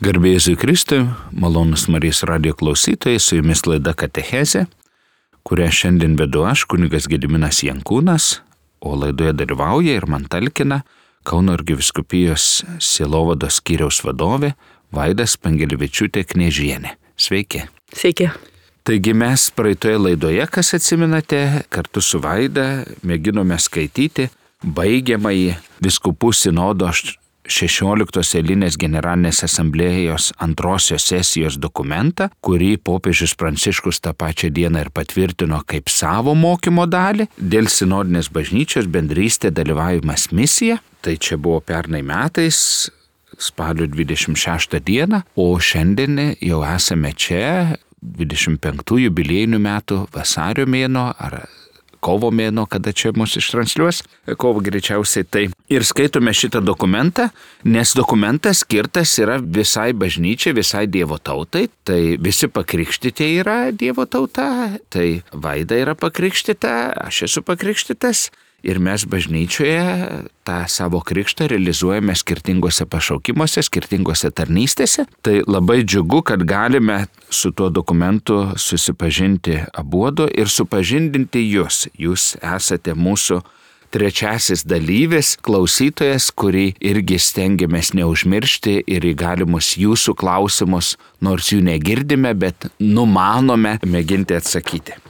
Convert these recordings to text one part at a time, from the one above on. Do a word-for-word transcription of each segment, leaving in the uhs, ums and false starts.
Garbė Jėzui Kristui, malonus Marijos radijo klausytojai, su jumis laida Katechezė, kurią šiandien vedu aš, kunigas Gediminas Jankūnas, o laidoje dalyvauja ir man talkina Kauno arkivyskupijos sielovados skyriaus vadovė Vaida Spangelevičiūtė Kniežienė. Sveiki. Sveiki. Taigi mes praeitoje laidoje, kas atsimenate, kartu su Vaida mėginome skaityti baigiamąjį vyskupų sinodo šešioliktos eilinės generalinės asamblėjos antrosios sesijos dokumentą, kurį popiežius Pranciškus tą pačią dieną ir patvirtino kaip savo mokymo dalį dėl sinodinės bažnyčios bendrystė dalyvavimas misija. Tai čia buvo pernai metais, spalio dvidešimt šeštą dieną, o šiandien jau esame čia, dvidešimt penktųjų jubiliejinių metų vasario mėnuo ar kovo mėnuo, kada čia mus ištransliuos, kovo greičiausiai tai. Ir skaitome šitą dokumentą, nes dokumentas skirtas yra visai bažnyčiai, visai Dievo tautai. Tai visi pakrikštyti yra Dievo tauta, tai Vaida yra pakrikštyta, aš esu pakrikštytas. Ir mes bažnyčioje tą savo krikštą realizuojame skirtingose pašaukimuose, skirtingose tarnystėse. Tai labai džiugu, kad galime su tuo dokumentu susipažinti abuodu ir supažindinti jūs. Jūs esate mūsų trečiasis dalyvis, klausytojas, kurį irgi stengiamės neužmiršti ir į galimus jūsų klausimus, nors jų negirdime, bet numanome mėginti atsakyti.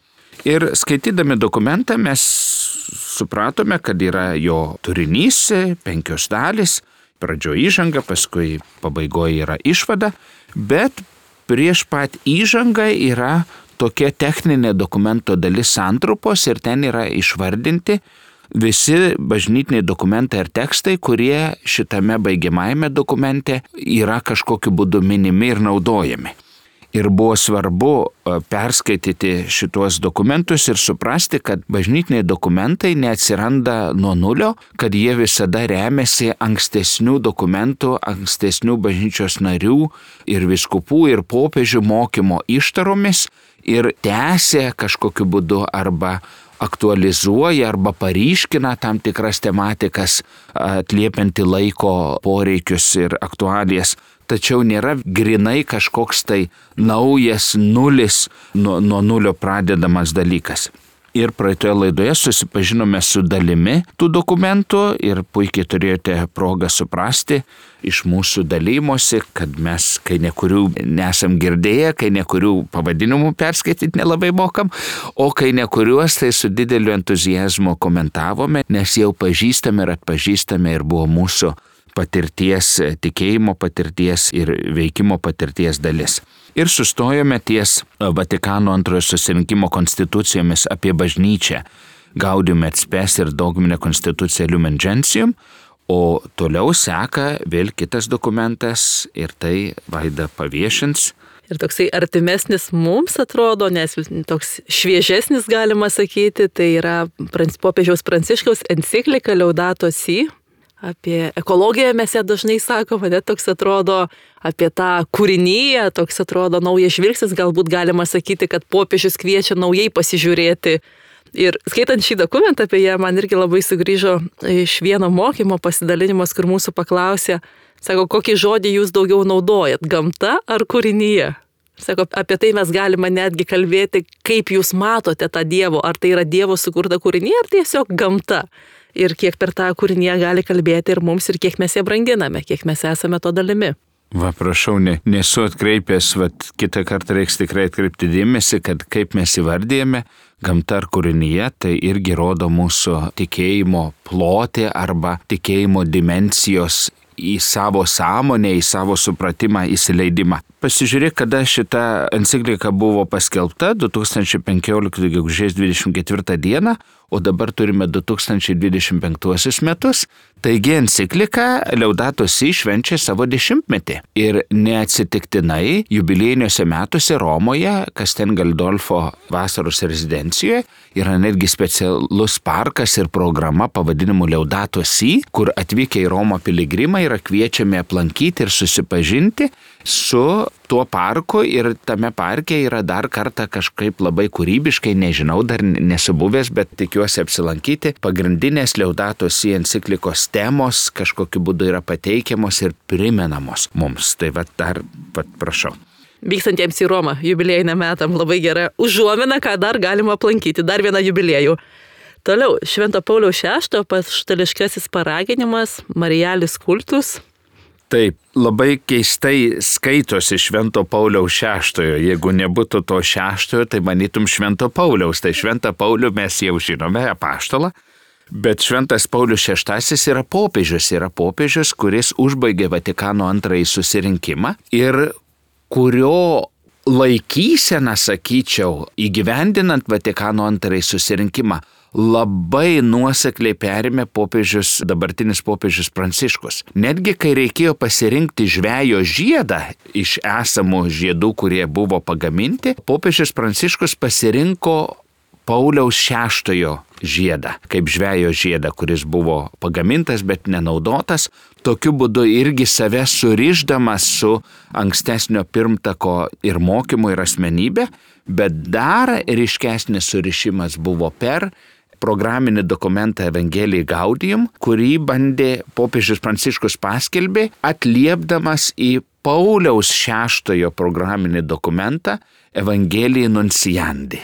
Ir skaitydami dokumentą mes supratome, kad yra jo turinys, penkios dalys, pradžio įžanga, paskui pabaigoje yra išvada, bet prieš pat įžangą yra tokia techninė dokumento dalis santrupos ir ten yra išvardinti visi bažnytiniai dokumentai ir tekstai, kurie šitame baigiamajame dokumente yra kažkokiu būdu minimi ir naudojami. Ir buvo svarbu perskaityti šituos dokumentus ir suprasti, kad bažnytiniai dokumentai neatsiranda nuo nulio, kad jie visada remiasi ankstesnių dokumentų, ankstesnių bažnyčios narių ir vyskupų ir popiežių mokymo ištaromis ir tęsia kažkokiu būdu arba aktualizuoja arba paryškina tam tikras tematikas, atliepianti laiko poreikius ir aktualijas. Tačiau nėra grinai kažkoks tai naujas nulis, nuo, nuo nulio pradedamas dalykas. Ir praeitoje laidoje susipažinome su dalimi tų dokumentų ir puikiai turėjote progą suprasti iš mūsų dalymosi, kad mes, kai nekurių nesam girdėję, kai nekurių pavadinimų perskaityti nelabai mokam, o kai nekuriuos tai su dideliu entuzijazmu komentavome, nes jau pažįstame ir atpažįstame ir buvo mūsų patirties, tikėjimo patirties ir veikimo patirties dalis. Ir sustojome ties Vatikano antrojo susirinkimo konstitucijomis apie bažnyčią, Gaudium et Spes ir dogminė konstitucija Lumen Gentium, o toliau seka vėl kitas dokumentas ir tai Vaida paviešins. Ir toksai artimesnis mums atrodo, nes toks šviežesnis galima sakyti, tai yra popiežiaus Pranciškaus enciklika Laudato Si. Apie ekologiją mes ją dažnai sakome, net toks atrodo, apie tą kūrinyje, toks atrodo naujas žvilgsnis, galbūt galima sakyti, kad popiežius kviečia naujai pasižiūrėti. Ir skaitant šį dokumentą apie ją, man irgi labai sugrįžo iš vieno mokymo pasidalinimas, kur mūsų paklausė, sako, kokį žodį jūs daugiau naudojat, gamta ar kūrinyje? Sako, apie tai mes galime netgi kalbėti, kaip jūs matote tą Dievo, ar tai yra Dievo sukurta kūrinė, ar tiesiog gamta. Ir kiek per tą kūrinį gali kalbėti ir mums, ir kiek mes ją branginame, kiek mes esame to dalimi. Va, prašau, ne, nesu atkreipęs, va, kitą kartą reiks tikrai atkreipti dėmesį, kad kaip mes įvardėjame gamta ar kūrinyje, tai irgi rodo mūsų tikėjimo plotį arba tikėjimo dimensijos į savo sąmonę, į savo supratimą, įsileidimą. Pasižiūrėk, kada šita enciklika buvo paskelbta, du tūkstančiai penkioliktųjų gegužės dvidešimt ketvirtą dieną, o dabar turime du tūkstančiai dvidešimt penktuosius metus. Taigi enciklika Laudato Si švenčia savo dešimtmetį. Ir neatsitiktinai jubiliejiniuose metuose Romoje, Castel Gandolfo vasaros rezidencijoje, yra netgi specialus parkas ir programa pavadinimu Laudato Si, kur atvykę į Romą piligrimai yra kviečiami aplankyti ir susipažinti su tuo parku ir tame parke yra dar kartą kažkaip labai kūrybiškai, nežinau, dar nesu buvęs, bet tikiuosi apsilankyti. Pagrindinės Laudato Si enciklikos temos kažkokiu būdu yra pateikiamos ir primenamos mums. Tai va dar, va, prašau. Vykstantiems į Romą jubiliejiniam metam labai gera užuomina, ką dar galima aplankyti, dar vieną jubiliejų. Toliau, Švento Pauliaus šeštojo apaštališkasis paraginimas Marialis Cultus. Taip, labai keistai skaitosi Švento Pauliaus šeštojo. Jeigu nebūtų to šeštojo, tai manytum Švento Pauliaus. Tai Šventą Paulių mes jau žinome, apaštalą. Bet Šventas Paulius šeštasis yra popiežius, yra popiežius, kuris užbaigė Vatikano antrąjį susirinkimą ir kurio laikysena, sakyčiau, įgyvendinant Vatikano antrąjį susirinkimą, labai nuosekliai perėmė popiežius, dabartinis popiežius Pranciškus. Netgi kai reikėjo pasirinkti žvejo žiedą iš esamų žiedų, kurie buvo pagaminti, popiežius Pranciškus pasirinko Pauliaus šeštojo žiedą, kaip žvejo žiedą, kuris buvo pagamintas, bet nenaudotas, tokiu būdu irgi save surišdamas su ankstesnio pirmtako ir mokymu ir asmenybė, bet dar ryškesnis surišimas buvo per programinį dokumentą Evangelii Gaudium, kurį bandė popiežius Pranciškus paskelbė, atliepdamas į Pauliaus šeštojo programinį dokumentą Evangelii Nunciandi.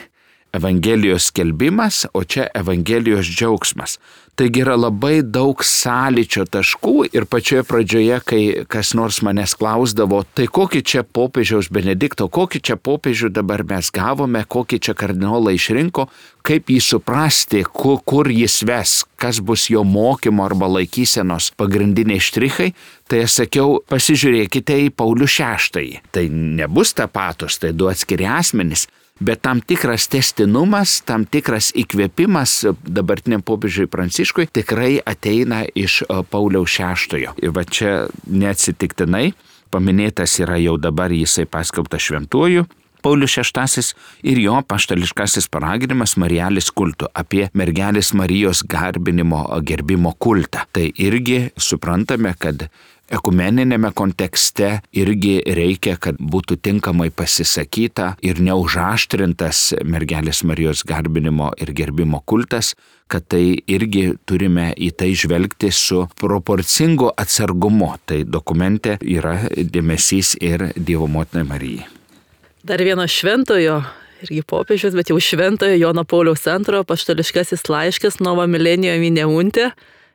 Evangelijos skelbimas, o čia Evangelijos džiaugsmas. Taigi yra labai daug sąlyčio taškų ir pačioje pradžioje, kai kas nors manęs klausdavo, tai kokį čia popiežiaus Benedikto, kokį čia popiežių dabar mes gavome, kokį čia kardinolą išrinko, kaip jį suprasti, kur, kur jis ves, kas bus jo mokymo arba laikysenos pagrindiniai štrichai, tai aš sakiau, pasižiūrėkite į Paulių šeštąjį. Tai nebus tapatus, tai du atskiri asmenys. Bet tam tikras tęstinumas, tam tikras įkvėpimas dabartiniam popiežiui Pranciškui tikrai ateina iš Pauliaus šeštojo. Ir va čia neatsitiktinai paminėtas yra jau dabar jisai paskelbtas šventuoju Paulius šeštasis ir jo apaštališkasis paraginimas Marialis Cultu apie mergelės Marijos garbinimo gerbimo kultą. Tai irgi suprantame, kad ekumeninėme kontekste irgi reikia, kad būtų tinkamai pasisakyta ir neužaštrintas mergelės Marijos garbinimo ir gerbimo kultas, kad tai irgi turime į tai žvelgti su proporcingu atsargumu. Tai dokumente yra dėmesys ir Dievo motinai Marijai. Dar vieno šventojo, irgi popiežius, bet jau šventojo Jono Pauliaus antrojo apaštališkasis laiškas Nova Millennium in Eunte.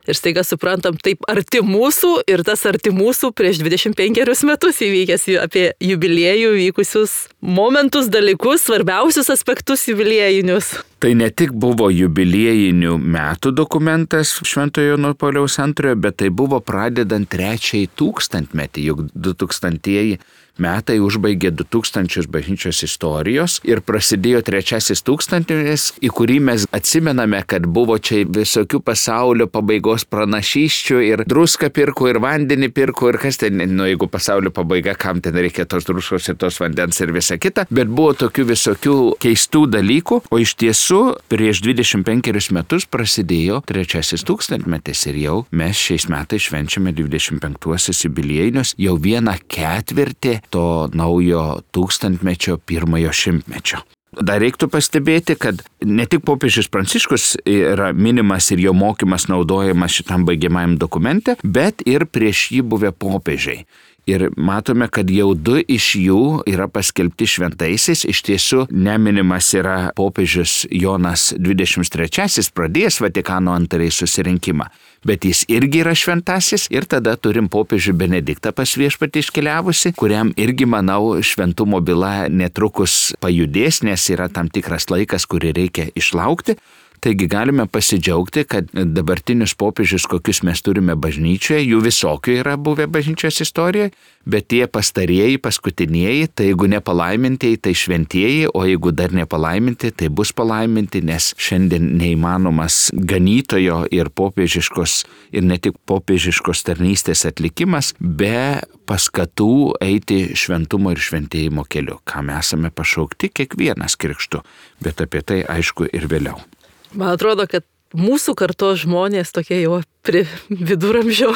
Ir staiga suprantam, taip arti mūsų ir tas arti mūsų prieš dvidešimt penkerius metus įvykęs apie jubiliejų vykusius momentus, dalykus, svarbiausius aspektus jubiliejinius. Tai ne tik buvo jubiliejinių metų dokumentas Šventojo Jono Pauliaus antrojo, bet tai buvo pradedant trečiąjį tūkstantmetį, juk du tūkstantieji metai užbaigė du tūkstančius bažnyčios istorijos ir prasidėjo trečiasis tūkstantmetis, į kurį mes atsimename, kad buvo čia visokių pasaulio pabaigos pranašysčių ir druską pirko ir vandenį pirko ir kas ten, nu jeigu pasaulio pabaiga, kam ten reikia tos druskos ir tos vandens ir visa kita, bet buvo tokių visokių keistų dalykų, o iš tiesų prieš dvidešimt penkerius metus prasidėjo trečiasis tūkstantmetis ir jau mes šiais metais švenčiame dvidešimt penktuosius jubiliejinius, jau vieną ketvirtį to naujo tūkstantmečio pirmojo šimtmečio. Dar reiktų pastebėti, kad ne tik popiežius Pranciškus yra minimas ir jo mokymas naudojamas šitam baigiamajam dokumente, bet ir prieš jį buvę popiežiai. Ir matome, kad jau du iš jų yra paskelbti šventaisiais, iš tiesų neminimas yra popiežius Jonas dvidešimt trečiasis pradėjęs Vatikano antrąjį susirinkimą, bet jis irgi yra šventasis ir tada turim popiežių Benediktą pas viešpatį iškeliavusi, kuriam irgi, manau, šventumo byla netrukus pajudės, nes yra tam tikras laikas, kurį reikia išlaukti. Taigi galime pasidžiaugti, kad dabartinius popiežius, kokius mes turime bažnyčioje, jų visokių yra buvę bažnyčios istorijoje, bet tie pastarieji, paskutinieji, tai jeigu nepalaimintieji, tai šventieji, o jeigu dar nepalaiminti, tai bus palaiminti, nes šiandien neįmanomas ganytojo ir popiežiškos, ir ne tik popiežiškos tarnystės atlikimas, be paskatų eiti šventumo ir šventėjimo keliu, kam esame pašaukti kiekvienas krikštu, bet apie tai aišku ir vėliau. Man atrodo, kad mūsų kartos žmonės, tokie jau prie viduramžio,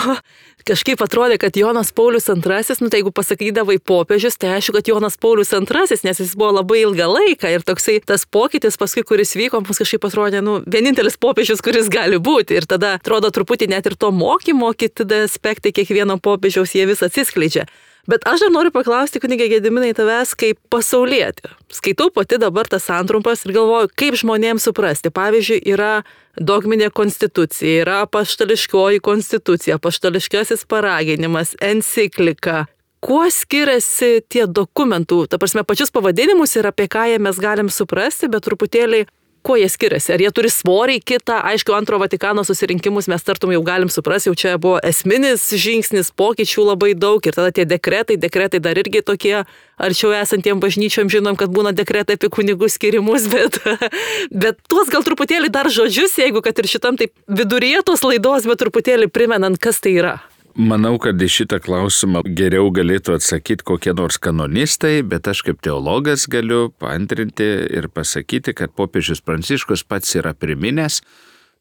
kažkaip atrodė, kad Jonas Paulius antrasis, nu tai jeigu pasakydavai popiežius, tai aišku, kad Jonas Paulius antrasis, nes jis buvo labai ilgą laiką ir toksai tas pokytis paskui, kuris vyko, mums kažkaip atrodė, nu, vienintelis popiežius, kuris gali būti. Ir tada atrodo truputį net ir to mokymo, kiti aspektai kiekvieno popiežiaus jie vis atsiskleidžia. Bet aš dar noriu paklausti, kunige Gediminai, tavęs kaip pasaulietė. Skaitau pati dabar tas santrumpas ir galvoju, kaip žmonėms suprasti. Pavyzdžiui, yra dogminė konstitucija, yra apaštališkoji konstitucija, apaštališkasis paraginimas, enciklika. Kuo skiriasi tie dokumentų, ta prasme, pačius pavadinimus ir apie ką jie mes galim suprasti, bet truputėlį kuo jie skiriasi? Ar jie turi svorį kitą? Aišku, antro Vatikano susirinkimus mes tartum jau galim suprasti, jau čia buvo esminis žingsnis, pokyčių labai daug ir tada tie dekretai, dekretai dar irgi tokie arčiau esantiem bažnyčiom žinom, kad būna dekretai apie kunigų skirimus, bet, bet tuos gal truputėlį dar žodžius, jeigu kad ir šitam taip viduryje tos laidos, bet truputėlį primenant, kas tai yra. Manau, kad į šitą klausimą geriau galėtų atsakyti kokie nors kanonistai, bet aš kaip teologas galiu paantrinti ir pasakyti, kad popiežius Pranciškus pats yra priminęs,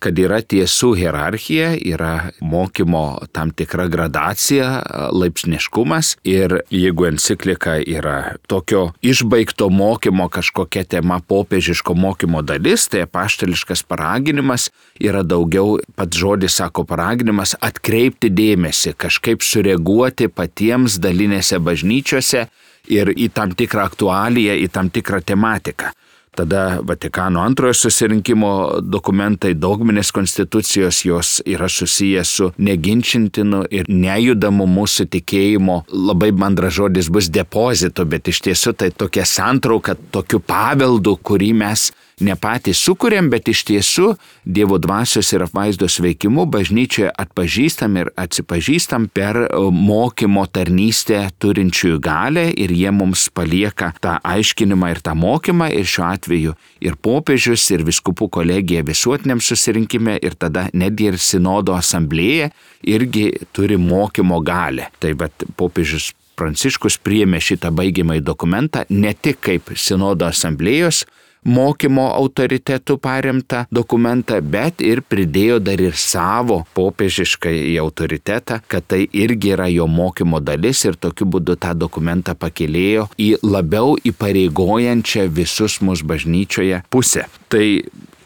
kad yra tiesų hierarchija, yra mokymo tam tikra gradacija, laipsniškumas ir jeigu enciklika yra tokio išbaigto mokymo kažkokia tema popiežiško mokymo dalis, tai apaštališkas paraginimas yra daugiau, pats žodis sako paraginimas, atkreipti dėmesį, kažkaip sureaguoti patiems dalinėse bažnyčiose ir į tam tikrą aktualiją, į tam tikrą tematiką. Tada Vatikano antrojo susirinkimo dokumentai, dogminės konstitucijos, jos yra susijęs su neginčintinu ir nejudamu mūsų tikėjimo, labai mandras žodis bus depozitu, bet iš tiesų tai tokia santrauka, tokiu paveldu, kurį mes ne patys sukuriam, bet iš tiesų Dievo dvasios ir apvaizdos veikimu bažnyčioje atpažįstam ir atsipažįstam per mokymo tarnystę turinčiųjų galę ir jie mums palieka tą aiškinimą ir tą mokymą ir šiuo atveju ir popiežius, ir vyskupų kolegija visuotiniam susirinkime ir tada netgi ir sinodo asamblėje irgi turi mokymo galę. Tai bet popiežius Pranciškus priėmė šitą baigiamąjį dokumentą ne tik kaip sinodo asamblėjos mokymo autoritetų paremtą dokumentą, bet ir pridėjo dar ir savo popiežiškai į autoritetą, kad tai irgi yra jo mokymo dalis ir tokiu būdu tą dokumentą pakėlėjo į labiau įpareigojančią visus mus bažnyčioje pusę. Tai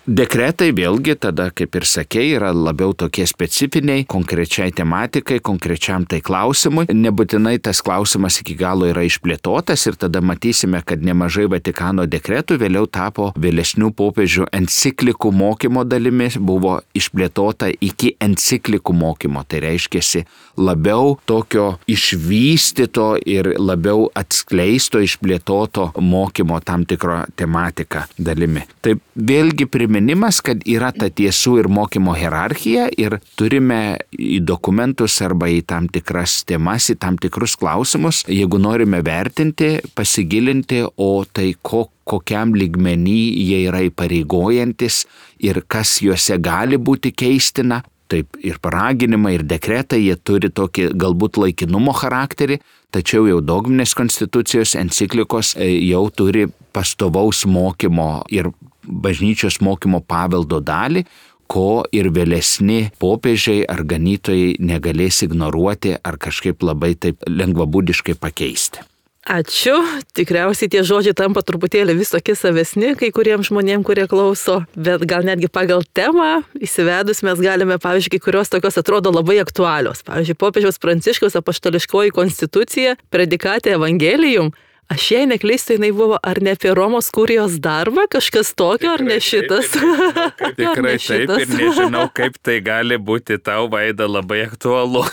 dekretai vėlgi tada, kaip ir sakei, yra labiau tokie specifiniai, konkrečiai tematikai, konkrečiam tai klausimui. Nebūtinai tas klausimas iki galo yra išplėtotas ir tada matysime, kad nemažai Vatikano dekretų vėliau tapo vėlesnių popiežių enciklikų mokymo dalimi, buvo išplėtota iki enciklikų mokymo. Tai reiškiasi labiau tokio išvystyto ir labiau atskleisto, išplėtoto mokymo tam tikro tematika dalimi. Tai vėlgi priminimas, kad yra ta tiesų ir mokymo hierarchija ir turime į dokumentus arba į tam tikras temas, į tam tikrus klausimus, jeigu norime vertinti, pasigilinti, o tai ko, kokiam lygmenį jie yra įpareigojantis ir kas juose gali būti keistina. Taip ir paraginimai, ir dekretai, jie turi tokį galbūt laikinumo charakterį, tačiau jau dogminės konstitucijos, enciklikos jau turi pastovaus mokymo ir bažnyčios mokymo paveldo dalį, ko ir vėlesni popiežiai ar ganytojai negalės ignoruoti ar kažkaip labai taip lengvabūdiškai pakeisti. Ačiū. Tikriausiai tie žodžiai tampa truputėlį vis tokie savesni kai kuriems žmonėms, kurie klauso, bet gal netgi pagal temą įsivedus mes galime, pavyzdžiui, kai kurios tokios atrodo labai aktualios. Pavyzdžiui, popiežiaus Pranciškaus apaštališkoji konstitucija, predikatė Evangelijum. Aš jei neklystu, jinai buvo ar ne apie Romos kurijos darbą, kažkas tokio, ar ne šitas? Taip, tikrai ne taip ir nežinau, kaip tai gali būti tau, Vaida, labai aktualu.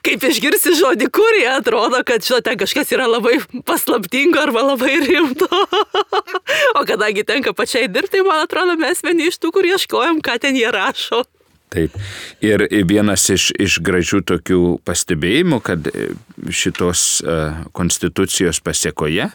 Kaip išgirsi žodį kurija, atrodo, kad žinote, kažkas yra labai paslaptingo arba labai rimto. O kadangi tenka pačiai dirbti, man atrodo, mes vieni iš tų, kur ieškojom, ką ten jie rašo. Taip. Ir vienas iš, iš gražių tokių pastebėjimų, kad šitos konstitucijos pasiekoje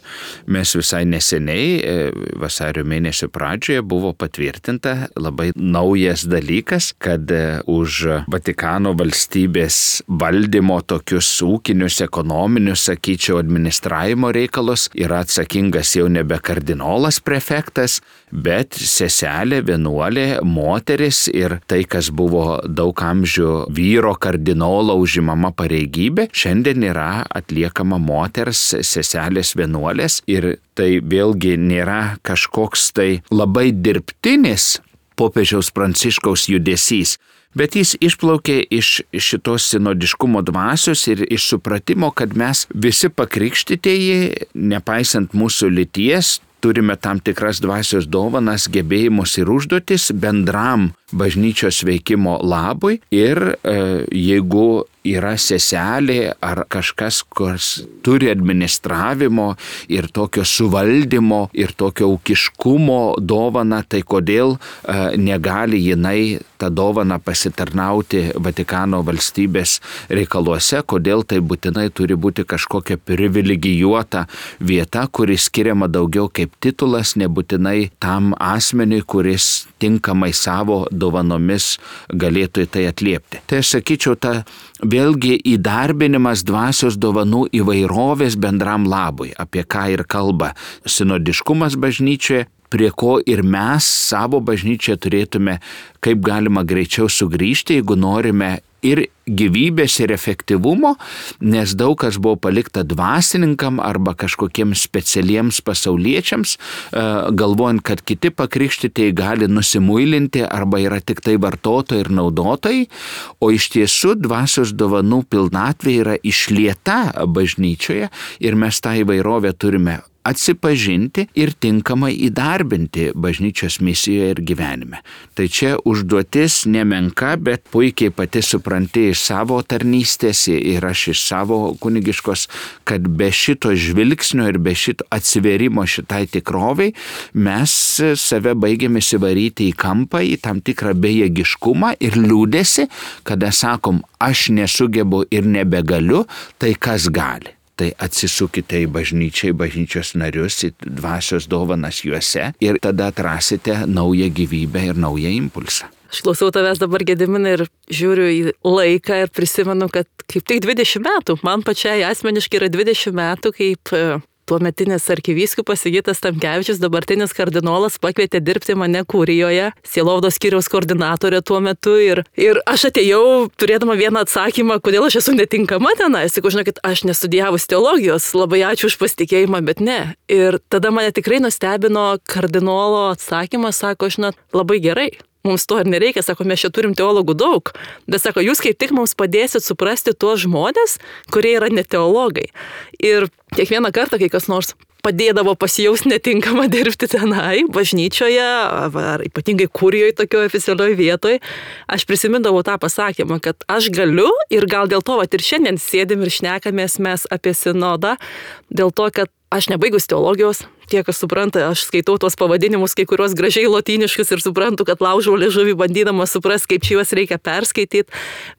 mes visai neseniai, vasario mėnesio pradžioje, buvo patvirtinta labai naujas dalykas, kad už Vatikano valstybės valdymo tokius ūkinius, ekonominius, sakyčiau, administravimo reikalus yra atsakingas jau nebe kardinolas prefektas, bet seselė, vienuolė, moteris ir tai, kas buvo daug amžių vyro kardinolo užimama pareigybė, šiandien yra atliekama moters, seselės, vienuolės ir tai vėlgi nėra kažkoks tai labai dirbtinis popiežiaus Pranciškaus judesys, bet jis išplaukė iš šitos sinodiškumo dvasios ir iš supratimo, kad mes visi pakrikštytieji, nepaisant mūsų lyties, turime tam tikras dvasios dovanas, gebėjimus ir užduotis bendram bažnyčios veikimo labui ir e, jeigu yra seselė ar kažkas, kas turi administravimo ir tokio suvaldymo ir tokio ūkiškumo dovaną, tai kodėl e, negali jinai tą dovaną pasitarnauti Vatikano valstybės reikaluose, kodėl tai būtinai turi būti kažkokia privilegijuota vieta, kuri skiriama daugiau kaip titulas, nebūtinai tam asmeniui, kuris tinkamai savo dovanomis galėtų į tai atliepti. Tai aš sakyčiau, ta vėlgi įdarbinimas dvasios dovanų įvairovės bendram labui, apie ką ir kalba sinodiškumas bažnyčioje, prie ko ir mes savo bažnyčioje turėtume kaip galima greičiau sugrįžti, jeigu norime ir gyvybės ir efektyvumo, nes daug kas buvo palikta dvasininkam arba kažkokiems specialiems pasauliečiams, galvojant, kad kiti pakrikštytieji gali nusimuilinti arba yra tik tai vartotojai ir naudotojai, o iš tiesų dvasios dovanų pilnatvė yra išlieta bažnyčioje ir mes tą įvairovę turime atsipažinti ir tinkamai įdarbinti bažnyčios misijoje ir gyvenime. Tai čia užduotis nemenka, bet puikiai pati supranti iš savo tarnystės ir aš iš savo kunigiškos, kad be šito žvilgsnio ir be šito atsiverimo šitai tikroviai mes save baigiame įsivaryti į kampą, į tam tikrą bejėgiškumą ir liūdesį, kada sakom, aš nesugebu ir nebegaliu, tai kas gali? Tai atsisukite į bažnyčią, į bažnyčios narius, į dvasios dovanas juose ir tada atrasite naują gyvybę ir naują impulsą. Aš klausau tavęs dabar, Gediminai, ir žiūriu į laiką ir prisimenu, kad kaip tik dvidešimt metų, man pačiai asmeniškai yra dvidešimt metų, kaip tuometinis arkivyskupas Sigitas Tamkevičius, dabartinis kardinolas, pakvietė dirbti mane Kurijoje, sielovados skyriaus koordinatorė tuo metu ir, ir aš atėjau turėdama vieną atsakymą, kodėl aš esu netinkama tenai. Sakau, žinokit, aš nestudijavus teologijos, labai ačiū už pasitikėjimą, bet ne. Ir tada mane tikrai nustebino kardinolo atsakymas, sako, žinot, labai gerai. Mums to ir nereikia, sako, mes čia turim teologų daug, bet sako, jūs kaip tik mums padėsit suprasti tuos žmonės, kurie yra ne teologai. Ir kiekvieną kartą, kai kas nors padėdavo pasijausti netinkamą dirbti tenai, bažnyčioje, ar ypatingai Kurijoje tokioje oficialioje vietoje, aš prisimindavau tą pasakymą, kad aš galiu ir gal dėl to, vat ir šiandien sėdim ir šnekamės mes apie sinodą, dėl to, kad aš nebaigus teologijos, tie, kas supranta, aš skaitau tuos pavadinimus, kai kuriuos gražiai lotyniškus ir suprantu, kad laužau liežuvį bandydama suprasti, kaip čia juos reikia perskaityti,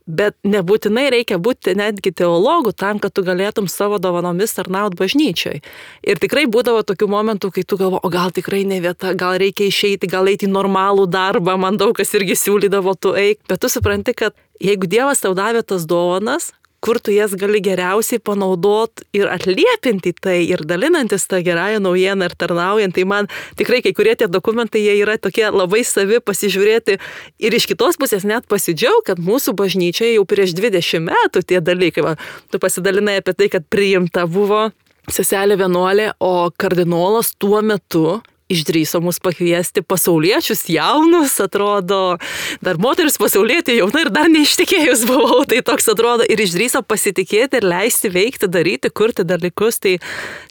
bet nebūtinai reikia būti netgi teologų tam, kad tu galėtum savo dovanomis tarnauti bažnyčioj. Ir tikrai būdavo tokių momentų, kai tu galvo, o gal tikrai ne vieta, gal reikia išeiti, gal eiti į normalų darbą, man daug kas irgi siūlydavo, tu eik, bet tu supranti, kad jeigu Dievas tau davė tas dovanas, kur tu jas gali geriausiai panaudot ir atliepinti tai ir dalinantis tą gerąją naujieną ir tarnaujant. Tai man tikrai kai kurie tie dokumentai, jie yra tokie labai savi pasižiūrėti ir iš kitos pusės net pasidžiaug, kad mūsų bažnyčioje jau prieš dvidešimt metų tie dalykai. Va, tu pasidalinai apie tai, kad priimta buvo seselė vienuolė, o kardinolas tuo metu išdrįso mus pakviesti pasauliečius jaunus, atrodo, dar moteris pasaulietė jauna ir dar neištikėjus buvau, tai toks atrodo ir išdrįso pasitikėti ir leisti veikti, daryti, kurti dalykus, tai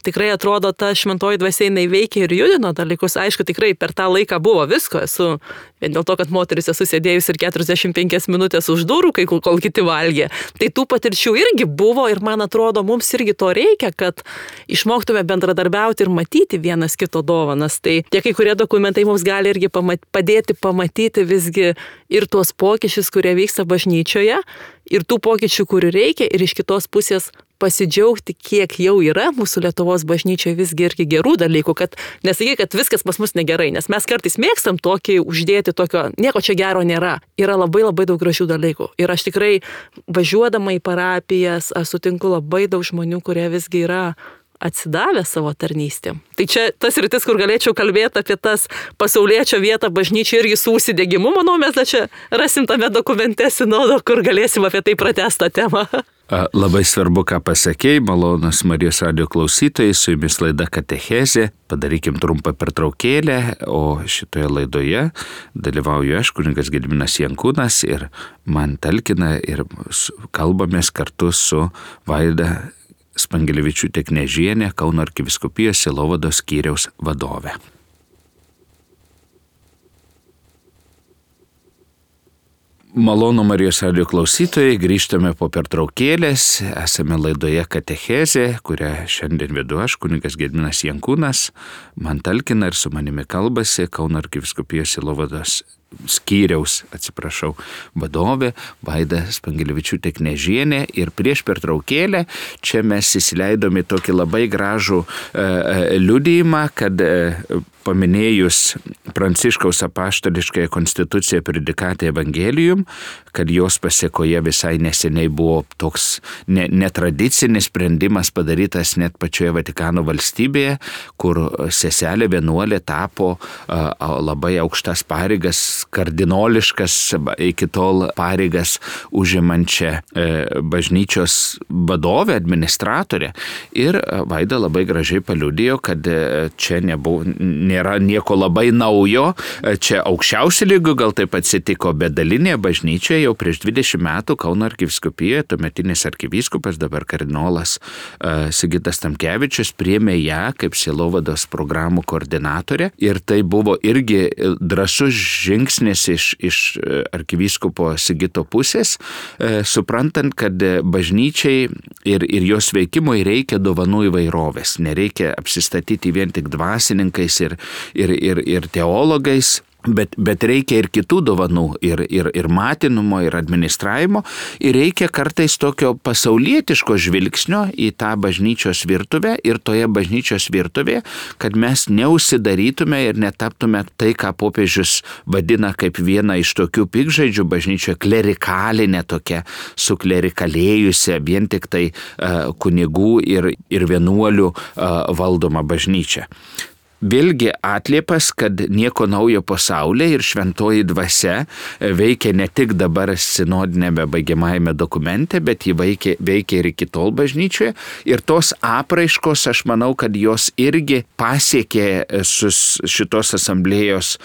tikrai atrodo ta šventoji dvasia jinai veikia ir judino dalykus, aišku, tikrai per tą laiką buvo visko, esu vien dėl to, kad moteris esu sėdėjus ir keturiasdešimt penkias minutės už durų, kai kol kiti valgė, tai tų patirčių irgi buvo ir man atrodo, mums irgi to reikia, kad išmoktume bendradarbiauti ir matyti vienas kito dovanas. Tai tie kai kurie dokumentai mums gali irgi pamat, padėti pamatyti visgi ir tuos pokyčius, kurie vyksta bažnyčioje, ir tų pokyčių, kurių reikia, ir iš kitos pusės pasidžiaugti, kiek jau yra mūsų Lietuvos bažnyčioje visgi irgi gerų dalykų, kad nesakyk, kad viskas pas mus negerai, nes mes kartais mėgstam tokį uždėti tokio, nieko čia gero nėra. Yra labai labai daug gražių dalykų. Ir aš tikrai važiuodama į parapijas, aš sutinku labai daug žmonių, kurie visgi yra atsidavę savo tarnystėm. Tai čia tas rytis, kur galėčiau kalbėti apie tas pasauliečio vietą bažnyčiai irgi su užsidegimu, manau, mes da čia rasim tame dokumente sinodo, kur galėsim apie tai pratęstą temą. Labai svarbu, ką pasakėjai, malonus Marijos radijo klausytojai, su jumis laida Katechezė. Padarykim trumpą pertraukėlę, o šitoje laidoje dalyvauju aš, kunigas Gediminas Jankūnas, ir man talkina ir kalbamės kartu su Vaida Spangelevičiūtė Knežienė, Kauno arkivyskupijos sielovados skyriaus vadovė. Malonu Marijos radijo klausytojai, grįžtame po pertraukėlės, esame laidoje Katechezė, kurią šiandien vedu aš, kunigas Gediminas Jankūnas, man talkina ir su manimi kalbasi Kauno arkivyskupijos sielovados skyriaus, atsiprašau, vadovė Vaida Spangelevičiūtė Knežienė, ir prieš pertraukėlę čia mes įsileidome tokį labai gražų e, liudijimą, kad e, paminėjus Pranciškaus apaštališkąją konstituciją Predikate Evangelium, kad jos pasiekoje visai neseniai buvo toks ne, netradicinis sprendimas padarytas net pačioje Vatikano valstybėje, kur seselė vienuolė tapo a, a, labai aukštas pareigas, kardinoliškas iki tol pareigas užimančią e, bažnyčios vadovę, administratorę. Ir Vaida labai gražiai paliudijo, kad e, čia nebuvo, nėra nieko labai naujo, čia aukščiausių lygių gal taip atsitiko, bet dalinėje bažnyčioje jau prieš dvidešimt metų Kauno arkivyskupijoje tuometinis arkivyskupas, dabar kardinolas e, Sigitas Tamkevičius, priėmė ją kaip sielovados programų koordinatorė, ir tai buvo irgi drąsus žingsnis iš, iš arkivyskupo Sigito pusės, e, suprantant, kad bažnyčiai ir, ir jos veikimui reikia dovanų įvairovės, nereikia apsistatyti vien tik dvasininkais ir, ir, ir, ir teologais. Bet, bet reikia ir kitų dovanų, ir, ir, ir matinumo, ir administravimo, ir reikia kartais tokio pasaulietiško žvilgsnio į tą bažnyčios virtuvę, ir toje bažnyčios virtuvėje, kad mes neužsidarytume ir netaptume tai, ką popiežius vadina kaip vieną iš tokių pikžaidžių bažnyčioje, klerikalinė tokia, suklerikalėjusią, vien tik tai uh, kunigų ir, ir vienuolių uh, valdoma bažnyčia. Vėlgi atliepas, kad nieko naujo pasaulyje, ir šventoji dvasia veikia ne tik dabar sinodinėme baigiamajame dokumente, bet ji veikia, veikia ir iki tol bažnyčioje. Ir tos apraiškos, aš manau, kad jos irgi pasiekė šitos asamblėjos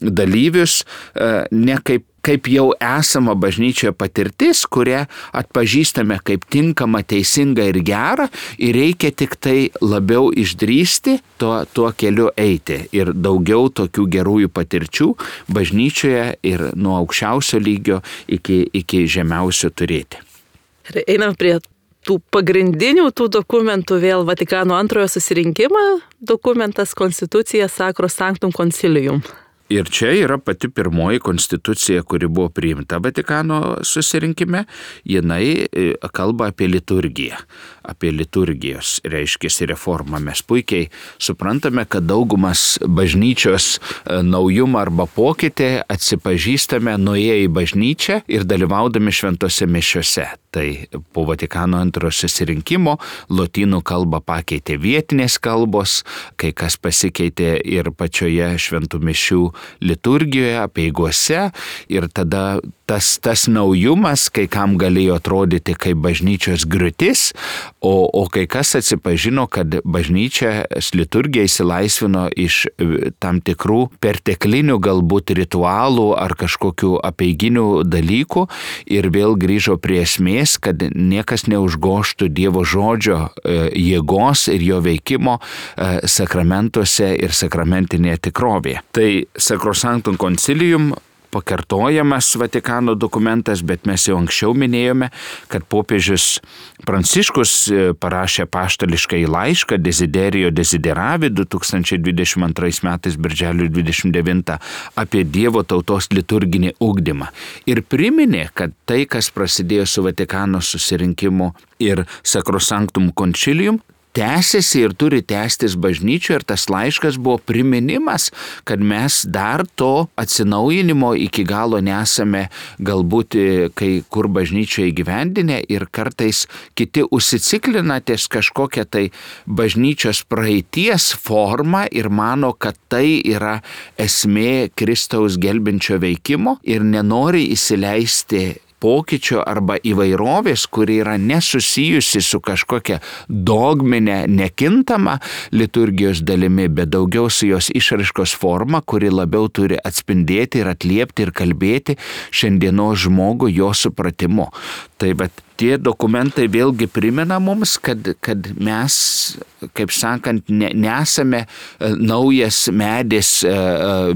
dalyvius ne kaip kaip jau esama bažnyčioje patirtis, kurią atpažįstame kaip tinkamą, teisingą ir gerą, ir reikia tik tai labiau išdrįsti tuo, tuo keliu eiti. Ir daugiau tokių gerųjų patirčių bažnyčioje ir nuo aukščiausio lygio iki, iki žemiausio turėti. Ir einam prie tų pagrindinių tų dokumentų, vėl Vatikano antrojo susirinkimą, dokumentas Constitucija Sacro Sanctum Concilium. Ir čia yra pati pirmoji konstitucija, kuri buvo priimta Vatikano susirinkime. Jinai kalba apie liturgiją, apie liturgijos, reiškiasi reformą. Mes puikiai suprantame, kad daugumas bažnyčios naujumą arba pokytį atsipažįstame nuėję į bažnyčią ir dalyvaudami šventose mišiose. Tai po Vatikano antrojo susirinkimo lotynų kalbą pakeitė vietinės kalbos, kai kas pasikeitė ir pačioje šventų mišių liturgijoje, apeigose, ir tada tas, tas naujumas kai kam galėjo atrodyti kaip bažnyčios griūtis, o, o kai kas atsipažino, kad bažnyčios liturgija įsilaisvino iš tam tikrų perteklinių galbūt ritualų ar kažkokių apeiginių dalykų ir vėl grįžo prie esmės, kad niekas neužgoštų Dievo žodžio jėgos ir jo veikimo sakramentuose ir sakramentinėje tikrovėje. Tai Sacrosanctum Concilium pakartojamas Vatikano dokumentas, bet mes jau anksčiau minėjome, kad popiežius Pranciškus parašė apaštališką laišką Desiderio Desideravi du tūkstančiai dvidešimt antrais metais birželio dvidešimt devintą apie Dievo tautos liturginį ugdymą. Ir priminė, kad tai, kas prasidėjo su Vatikano susirinkimu ir Sacrosanctum Concilium, tęsiasi ir turi tęstis bažnyčioje, ir tas laiškas buvo priminimas, kad mes dar to atsinaujinimo iki galo nesame galbūt kai kur bažnyčioje įgyvendinę, ir kartais kiti užsiciklina ties kažkokią tai bažnyčios praeities formą ir mano, kad tai yra esmė Kristaus gelbinčio veikimo ir nenori įsileisti pokyčio arba įvairovės, kuri yra nesusijusi su kažkokia dogminė nekintama liturgijos dalimi, bet daugiau su jos išraiškos forma, kuri labiau turi atspindėti ir atliepti ir kalbėti šiandienos žmogų jo supratimu. Tai bet tie dokumentai vėlgi primena mums, kad, kad mes, kaip sakant, ne, nesame naujas medis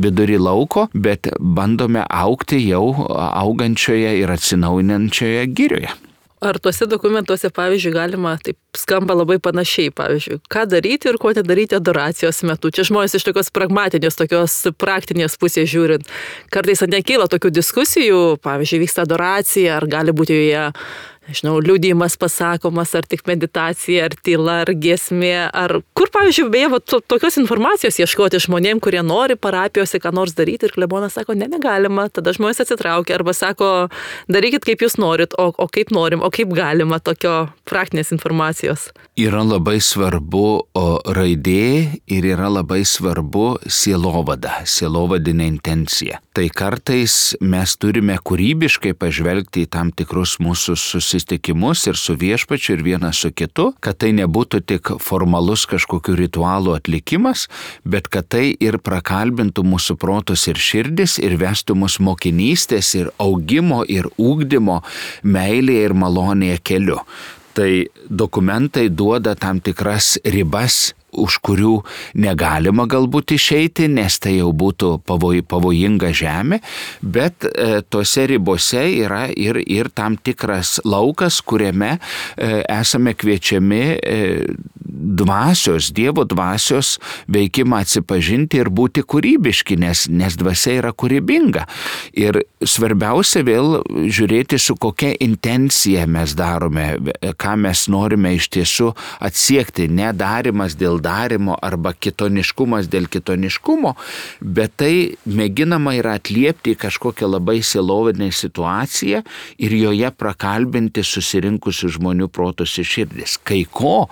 vidury lauko, bet bandome augti jau augančioje ir atsinaujinančioje girioje. Ar tuose dokumentuose, pavyzdžiui, galima, taip skamba labai panašiai, pavyzdžiui, ką daryti ir ko nedaryti adoracijos metu. Čia žmonės iš tokios pragmatinės, tokios praktinės pusės žiūrint. Kartais nekyla tokių diskusijų, pavyzdžiui, vyksta adoracija, ar gali būti joje, nežinau, liudijimas pasakomas, ar tik meditacija, ar tyla, ar giesmė, ar kur, pavyzdžiui, beje, va, to, tokios informacijos ieškoti žmonėm, kurie nori parapijose ką nors daryti, ir klebonas sako, ne, negalima, tada žmonės atsitraukia, arba sako, darykit kaip jūs norit, o, o kaip norim, o kaip galima, tokio praktinės informacijos. Yra labai svarbu o, raidė ir yra labai svarbu sielovada, sielovadinė intencija. Tai kartais mes turime kūrybiškai pažvelgti į tam tikrus mūsų susitikimus ir su viešpačiu ir vienas su kitu, kad tai nebūtų tik formalus kažkokių ritualų atlikimas, bet kad tai ir prakalbintų mūsų protus ir širdis ir vestų mus mokinystės ir augimo ir ugdymo meilėje ir malonėje keliu. Tai dokumentai duoda tam tikras ribas, už kurių negalima galbūt išeiti, nes tai jau būtų pavoj, pavojinga žemė, bet e, tose ribose yra ir, ir tam tikras laukas, kuriame e, esame kviečiami e, dvasios, Dievo dvasios veikimą atsipažinti ir būti kūrybiški, nes, nes dvasia yra kūrybinga. Ir svarbiausia vėl žiūrėti, su kokia intencija mes darome, ką mes norime iš tiesų atsiekti, nedarimas dėl darimo arba kitoniškumas dėl kitoniškumo, bet tai mėginama yra atliepti kažkokią labai sielovadinę situaciją ir joje prakalbinti susirinkusių žmonių protus ir širdis. Kai ko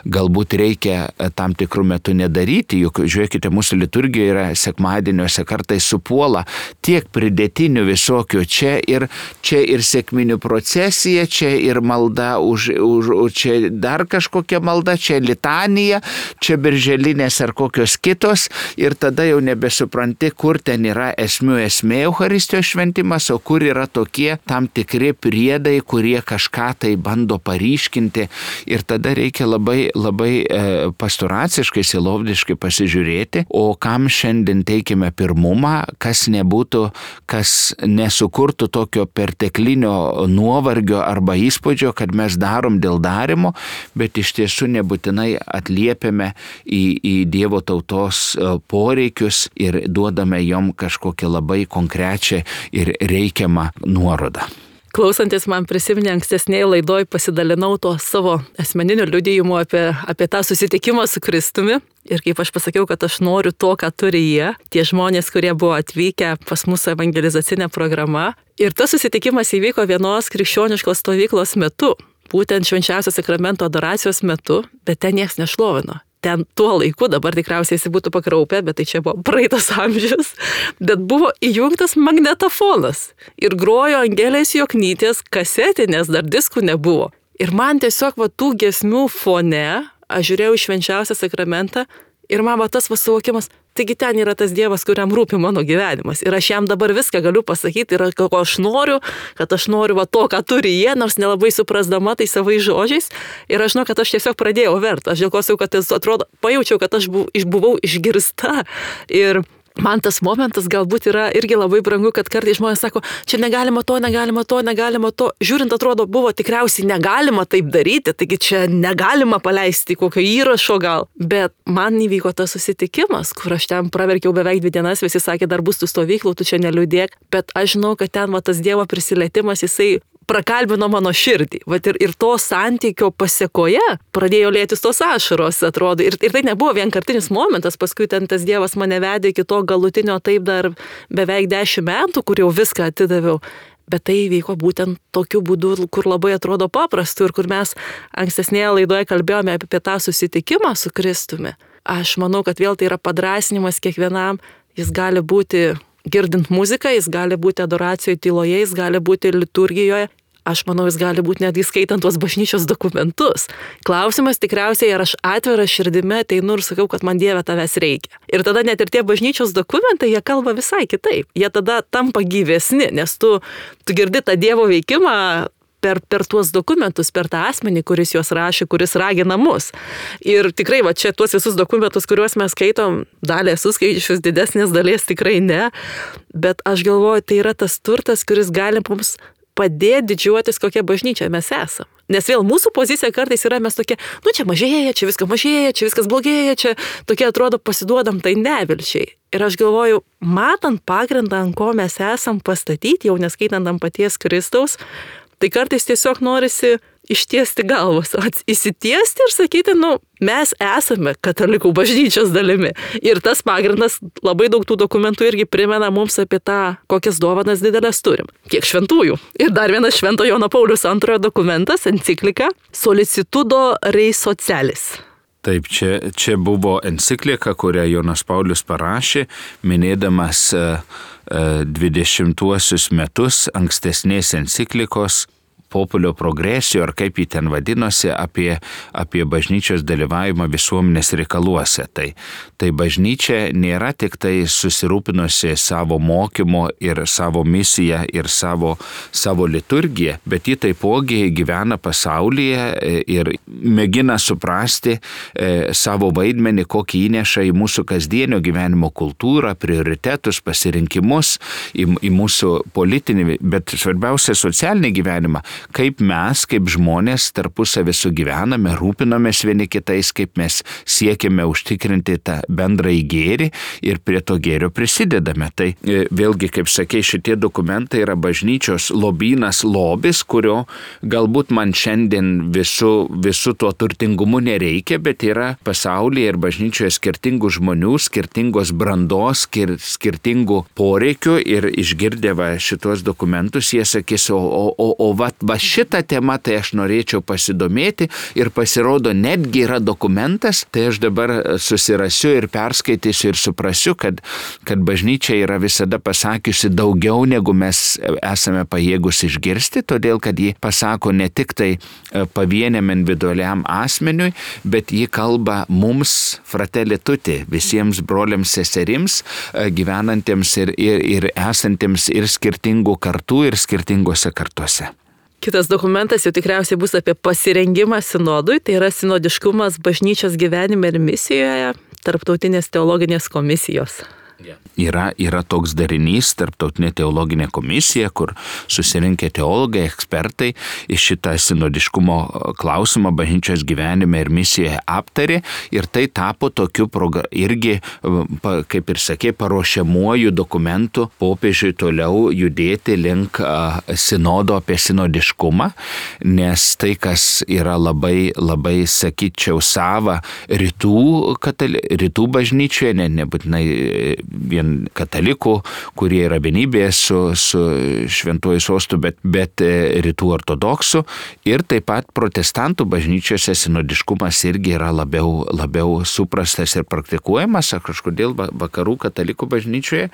galbūt reikia tam tikrų metų nedaryti, juk žiūrėkite, mūsų liturgija yra sekmadieniuose kartais supuola tiek pridėtinių visokių, čia ir, čia ir sekminių procesija, čia ir malda už, už, už čia dar kažkokia malda, čia litanija, čia birželinės ar kokios kitos, ir tada jau nebesupranti, kur ten yra esmių esmė Eucharistijos šventimas, o kur yra tokie tam tikri priedai, kurie kažką tai bando paryškinti, ir tada reikia labai, labai e, pastoraciškai, sielovdiškai pasižiūrėti, o kam šiandien teikime pirmumą, kas nebūtų, kas nesukurtų tokio perteklinio nuovargio arba įspūdžio, kad mes darom dėl darimo, bet iš tiesų nebūtinai atliepiame į, į Dievo tautos poreikius ir duodame jom kažkokią labai konkrečią ir reikiamą nuorodą. Klausantis man prisiminė ankstesnėje laidoj, pasidalinau to savo asmeniniu liudijimu apie, apie tą susitikimą su Kristumi. Ir kaip aš pasakiau, kad aš noriu to, ką turi jie, tie žmonės, kurie buvo atvykę pas mūsų evangelizacinę programą. Ir tas susitikimas įvyko vienos krikščioniškos stovyklos metu, būtent švenčiausio sakramento adoracijos metu, bet ten niekas nešlovino. Ten tuo laiku, dabar tikriausiai jis būtų pakraupę, bet tai čia buvo praeitas amžius, bet buvo įjungtas magnetofonas ir grojo Angelės Joknytės kasetė, nes dar diskų nebuvo. Ir man tiesiog va tų giesmių fone, aš žiūrėjau į švenčiausią sakramentą ir man va tas suvokimas, taigi ten yra tas Dievas, kuriam rūpi mano gyvenimas. Ir aš jam dabar viską galiu pasakyti, ir ko aš noriu, kad aš noriu va to, ką turi jie, nors nelabai suprasdama tai savais žodžiais. Ir aš žinau, kad aš tiesiog pradėjau verti. Aš dėl ko sakau, kad atrodo, pajaučiau, kad aš buvau, buvau išgirsta. Ir man tas momentas galbūt yra irgi labai brangu, kad kartais žmonės sako, čia negalima to, negalima to, negalima to. Žiūrint, atrodo, buvo tikriausiai negalima taip daryti, taigi čia negalima paleisti kokio įrašo gal. Bet man įvyko tas susitikimas, kur aš ten praverkiau beveik dvi dienas, visi sakė, dar bus tų stovyklų, tu čia neliūdėk. Bet aš žinau, kad ten va, tas Dievo prisilietimas, jisai prakalbino mano širdį. Vat ir, ir to santykio pasiekoje pradėjo lėtis tos ašaros, atrodo. Ir, ir tai nebuvo vienkartinis momentas, paskui ten tas Dievas mane vedė iki to galutinio taip dar beveik dešimt metų, kur jau viską atidaviau. Bet tai vyko būtent tokiu būdu, kur labai atrodo paprastu ir kur mes ankstesnėje laidoje kalbėjome apie tą susitikimą su Kristumi. Aš manau, kad vėl tai yra padrasinimas kiekvienam, jis gali būti girdint muziką, jis gali būti adoracijoje tyloje, jis gali būti liturgijoje. Aš manau, jis gali būti netgi skaitant tuos bažnyčios dokumentus. Klausimas tikriausiai, ar aš atvira širdimi ateinu ir sakau, kad man Dieve tavęs reikia. Ir tada net ir tie bažnyčios dokumentai, jie kalba visai kitaip. Jie tada tampa gyvesni, nes tu, tu girdi tą Dievo veikimą per, per tuos dokumentus, per tą asmenį, kuris juos rašė, kuris ragina mus. Ir tikrai, va čia tuos visus dokumentus, kuriuos mes skaitom, dalį esu skaičius, didesnės dalies tikrai ne. Bet aš galvoju, tai yra tas turtas, kuris gali mums padėti didžiuotis, kokia bažnyčia mes esam. Nes vėl mūsų pozicija kartais yra mes tokie, nu čia mažėja, čia viskas mažėja, čia viskas blogėja, čia tokie atrodo pasiduodam tai nevilčiai. Ir aš galvoju, matant pagrindą, ant ko mes esam pastatyti, jau neskaitant ant paties Kristaus, tai kartais tiesiog norisi ištiesti galvas, įsitiesti ir sakyti, nu, mes esame katalikų bažnyčios dalimi. Ir tas pagrindas, labai daug tų dokumentų irgi primena mums apie tą, kokias dovanas didelės turim. Kiek šventųjų. Ir dar vienas Švento Jono Pauliaus antrojo dokumentas, enciklika Solicitudo Rei Socialis. Taip, čia, čia buvo enciklika, kurią Jonas Paulius parašė, minėdamas dvidešimtuosius metus ankstesnės enciklikos Populio Progressio, ar kaip jį ten vadinosi, apie, apie bažnyčios dalyvavimą visuomenės reikaluose. Tai, tai bažnyčia nėra tik tai susirūpinusi savo mokymo ir savo misiją ir savo, savo liturgiją, bet ji taipogi gyvena pasaulyje ir mėgina suprasti e, savo vaidmenį, kokį įneša į mūsų kasdienio gyvenimo kultūrą, prioritetus, pasirinkimus, į, į mūsų politinį, bet svarbiausia socialinį gyvenimą. Kaip mes, kaip žmonės tarpusavį sugyvename, rūpinomės vieni kitais, kaip mes siekime užtikrinti tą bendrąjį gėrį ir prie to gėrio prisidedame. Tai vėlgi, kaip sakė, šitie dokumentai yra bažnyčios lobynas, lobis, kurio galbūt man šiandien visų, visų tuo turtingumu nereikia, bet yra pasaulyje ir bažnyčioje skirtingų žmonių, skirtingos brandos, skir, skirtingų poreikių ir išgirdę va šitos dokumentus, jie sakys, o, o, o, o va, va šitą temą tai aš norėčiau pasidomėti ir pasirodo netgi yra dokumentas, tai aš dabar susirasiu ir perskaitysiu ir suprasiu, kad, kad bažnyčia yra visada pasakiusi daugiau negu mes esame pajėgus išgirsti, todėl kad ji pasako ne tik tai pavieniam individualiam asmeniui, bet ji kalba mums fratelli tutti, visiems broliams seserims, gyvenantiems ir, ir, ir esantiems ir skirtingų kartų ir skirtingose kartuose. Kitas dokumentas jau tikriausiai bus apie pasirengimą sinodui, tai yra sinodiškumas bažnyčios gyvenime ir misijoje Tarptautinės teologinės komisijos. Yra, yra toks darinys, Tarptautinė teologinė komisija, kur susirinkę teologai, ekspertai iš šitą sinodiškumo klausimą bažnyčios gyvenime ir misijoje aptarė ir tai tapo tokiu irgi, kaip ir sakė, paruošiamuoju dokumentu popiežiui toliau judėti link sinodo apie sinodiškumą, nes tai, kas yra labai, labai sakyčiau, sava rytų, katali, rytų bažnyčioje, ne, nebūtinai vien katalikų, kurie yra vienybėje su, su šventuoju sostu, bet, bet rytų ortodoksų ir taip pat protestantų bažnyčiose sinodiškumas irgi yra labiau, labiau suprastas ir praktikuojamas, ar kažkodėl vakarų katalikų bažnyčioje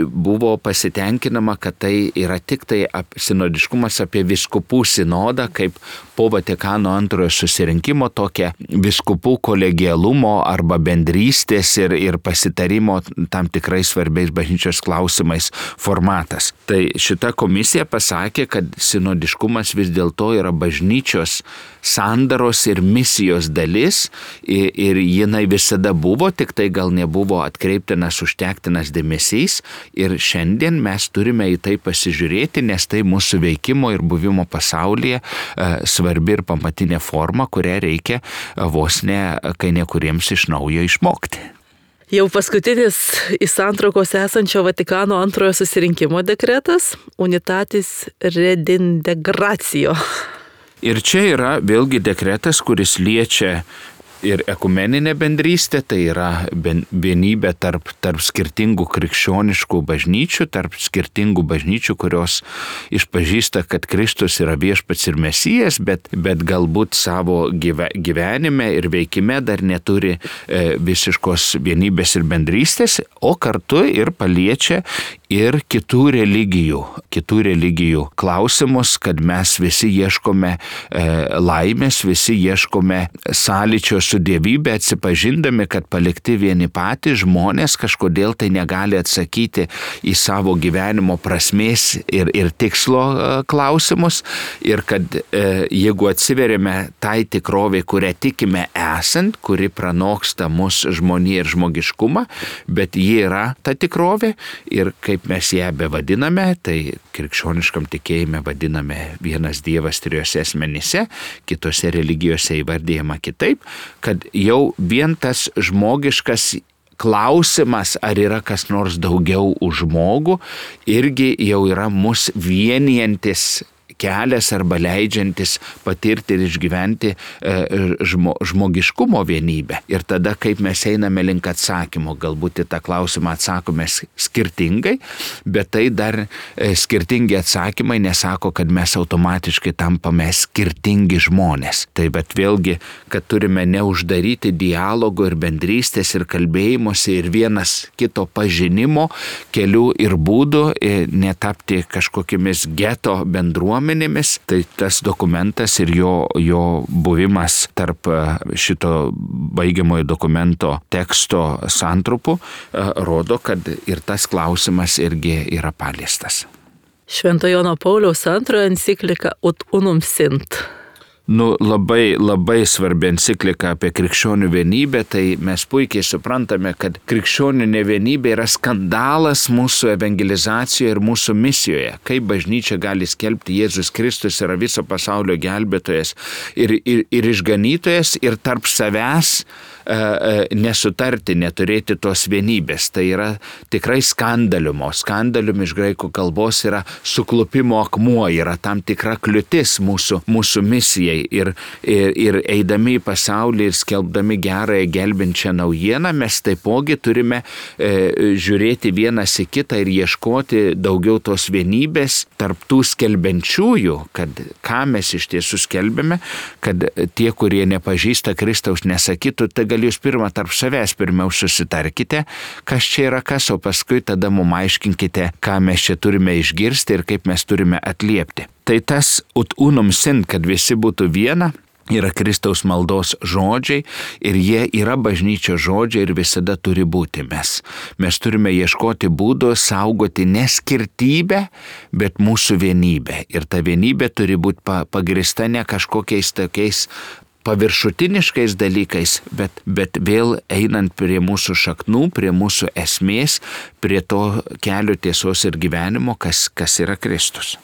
buvo pasitenkinama, kad tai yra tik tai sinodiškumas apie vyskupų sinodą, kaip po Vatikano antrojo susirinkimo tokia vyskupų kolegialumo arba bendrystės ir, ir pasitarimo tam tikrais svarbiais bažnyčios klausimais formatas. Tai šita komisija pasakė, kad sinodiškumas vis dėlto yra bažnyčios sandaros ir misijos dalis ir, ir jinai visada buvo, tik tai gal nebuvo atkreiptinas užtektinas dėmesys ir šiandien mes turime į tai pasižiūrėti, nes tai mūsų veikimo ir buvimo pasaulyje e, svarbi ir pamatinė forma, kurią reikia vos ne kai nekuriems iš naujo išmokti. Jau paskutinis į santraukos esančio Vatikano antrojo susirinkimo dekretas Unitatis Redintegratio. Ir čia yra vėlgi dekretas, kuris liečia ir ekumeninė bendrystė, tai yra vienybė tarp, tarp skirtingų krikščioniškų bažnyčių, tarp skirtingų bažnyčių, kurios išpažįsta, kad Kristus yra viešpats ir Mesijas, bet, bet galbūt savo gyve, gyvenime ir veikime dar neturi e, visiškos vienybės ir bendrystės, o kartu ir paliečia ir kitų religijų, kitų religijų klausimus, kad mes visi ieškome e, laimės, visi ieškome sąlyčio su dievybė, atsipažindami, kad palikti vieni patys žmonės kažkodėl tai negali atsakyti į savo gyvenimo prasmės ir, ir tikslo e, klausimus ir kad e, jeigu atsiverėme tai tikrovė, kurią tikime esant, kuri pranoksta mus žmoniją ir žmogiškumą, bet ji yra ta tikrovė ir kaip mes ją bevadiname, tai krikščioniškam tikėjime vadiname vienas Dievas trijose asmenyse, kitose religijose įvardyjama kitaip, kad jau vien tas žmogiškas klausimas, ar yra kas nors daugiau už žmogų, irgi jau yra mus vienijantis kelias arba leidžiantis patirti ir išgyventi žmo, žmogiškumo vienybę. Ir tada, kaip mes einame link atsakymo, galbūt į tą klausimą atsakome skirtingai, bet tai dar skirtingi atsakymai nesako, kad mes automatiškai tampame skirtingi žmonės. Tai bet vėlgi, kad turime neuždaryti dialogo ir bendrystės ir kalbėjimuose ir vienas kito pažinimo kelių ir būdų, netapti kažkokiamis geto bendruomenėmis. Tai tas dokumentas ir jo, jo buvimas tarp šito baigiamojo dokumento teksto santrupų rodo, kad ir tas klausimas irgi yra paliestas. Švento Jono Pauliaus antrojo enciklika Ut Unum Sint. Nu, labai, labai svarbi enciklika apie krikščionių vienybę, tai mes puikiai suprantame, kad krikščionių nevienybė yra skandalas mūsų evangelizacijoje ir mūsų misijoje. Kaip bažnyčia gali skelbti Jėzus Kristus yra viso pasaulio gelbėtojas ir, ir, ir išganytojas ir tarp savęs nesutarti, neturėti tos vienybės. Tai yra tikrai skandaliumo. Skandalium iš graikų kalbos yra suklupimo akmuo, yra tam tikra kliūtis mūsų, mūsų misijai. Ir, ir, ir eidami į pasaulį ir skelbdami gerąją gelbinčią naujieną, mes taipogi turime e, žiūrėti vienas į kitą ir ieškoti daugiau tos vienybės tarp tų skelbiančiųjų, kad ką mes iš tiesų skelbėme, kad tie, kurie nepažįsta Kristaus, nesakytų, tai gal jūs pirmą tarp savęs pirmiau susitarkite, kas čia yra kas, o paskui tada mum aiškinkite, ką mes čia turime išgirsti ir kaip mes turime atliepti. Tai tas Ut Unum Sint, kad visi būtų viena, yra Kristaus maldos žodžiai ir jie yra bažnyčios žodžiai ir visada turi būti mes. Mes turime ieškoti būdų saugoti ne skirtybę, bet mūsų vienybę. Ir ta vienybė turi būti pagrįsta ne kažkokiais tokiais paviršutiniškais dalykais, bet, bet vėl einant prie mūsų šaknų, prie mūsų esmės, prie to kelio tiesos ir gyvenimo, kas, kas yra Kristus.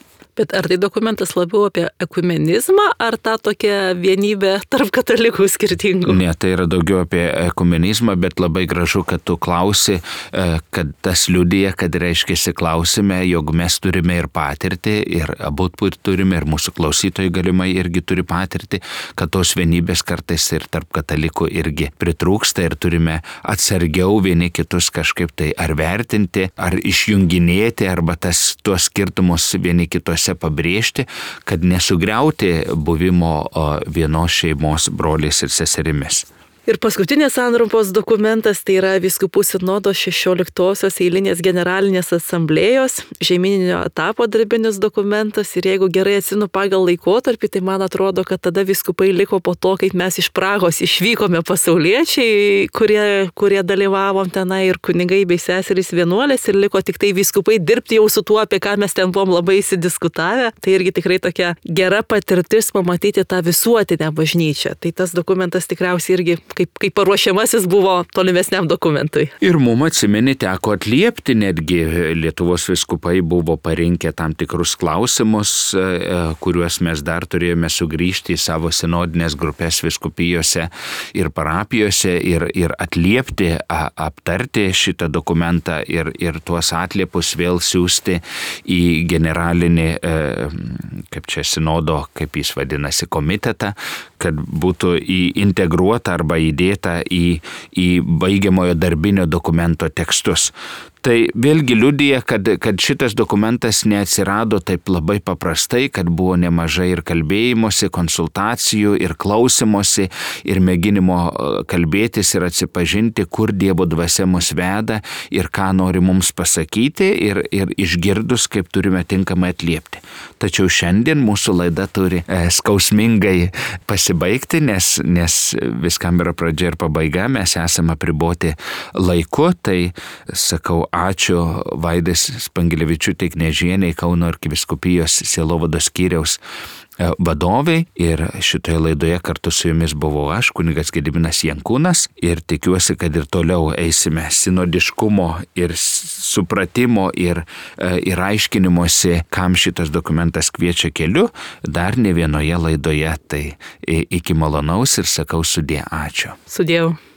Bet ar tai dokumentas labiau apie ekumenizmą, ar tą tokią vienybę tarp katalikų skirtingų? Ne, tai yra daugiau apie ekumenizmą, bet labai gražu, kad tu klausi, kad tas liudija, kad reiškiasi klausime, jog mes turime ir patirtį, ir abu turime, ir mūsų klausytojai galimai irgi turi patirtį, kad tos vienybės kartais ir tarp katalikų irgi pritrūksta ir turime atsargiau vieni kitus kažkaip tai ar vertinti, ar išjunginėti, arba tas, tuos skirtumus vieni kitose pabrėžti, kad nesugriauti buvimo vienos šeimos broliais ir seserimis. Ir paskutinės santrumpos dokumentas tai yra vyskupų sinodo šešioliktosios eilinės generalinės asamblėjos žemyninio etapo darbinis dokumentas. Ir jeigu gerai atsinu pagal laikotarpį, tai man atrodo, kad tada vyskupai liko po to, kaip mes iš Prahos išvykome pasauliečiai, kurie, kurie dalyvavom tenai ir kunigai bei seserys vienuolės ir liko tik tai vyskupai dirbti jau su tuo, apie ką mes ten buvom labai įsidiskutavę. Tai irgi tikrai tokia gera patirtis pamatyti tą visuotinę bažnyčią. Tai tas dokumentas tikriausiai irgi kaip, kaip paruošiamasis buvo tolimesniam dokumentui. Ir mums atsimeni teko atliepti, netgi Lietuvos vyskupai buvo parinkę tam tikrus klausimus, kuriuos mes dar turėjome sugrįžti į savo sinodinės grupės vyskupijose ir parapijose ir, ir atliepti, aptarti šitą dokumentą ir, ir tuos atliepus vėl siūsti į generalinį, kaip čia sinodo, kaip jis vadinasi, komitetą, kad būtų integruota arba įdėta į, į baigiamojo darbinio dokumento tekstus. Tai vėlgi liudija, kad, kad šitas dokumentas neatsirado taip labai paprastai, kad buvo nemažai ir kalbėjimosi, konsultacijų, ir klausimosi, ir mėginimo kalbėtis ir atsipažinti, kur Dievo dvasia mus veda ir ką nori mums pasakyti ir, ir išgirdus, kaip turime tinkamai atliepti. Tačiau šiandien mūsų laida turi e, skausmingai pasibaigti, nes, nes viskam yra pradžia ir pabaiga, mes esame apriboti laiku, tai sakau, ačiū Vaidės Spangelevičiūtei Knežienei, Kauno arkivyskupijos sielovados skyriaus vadovai. Ir šitoje laidoje kartu su jumis buvau aš, kunigas Gediminas Jankūnas. Ir tikiuosi, kad ir toliau eisime sinodiškumo ir supratimo ir, ir aiškinimuose, kam šitas dokumentas kviečia keliu, dar ne vienoje laidoje. Tai iki malonaus ir sakau sudie, ačiū. Sudėjau.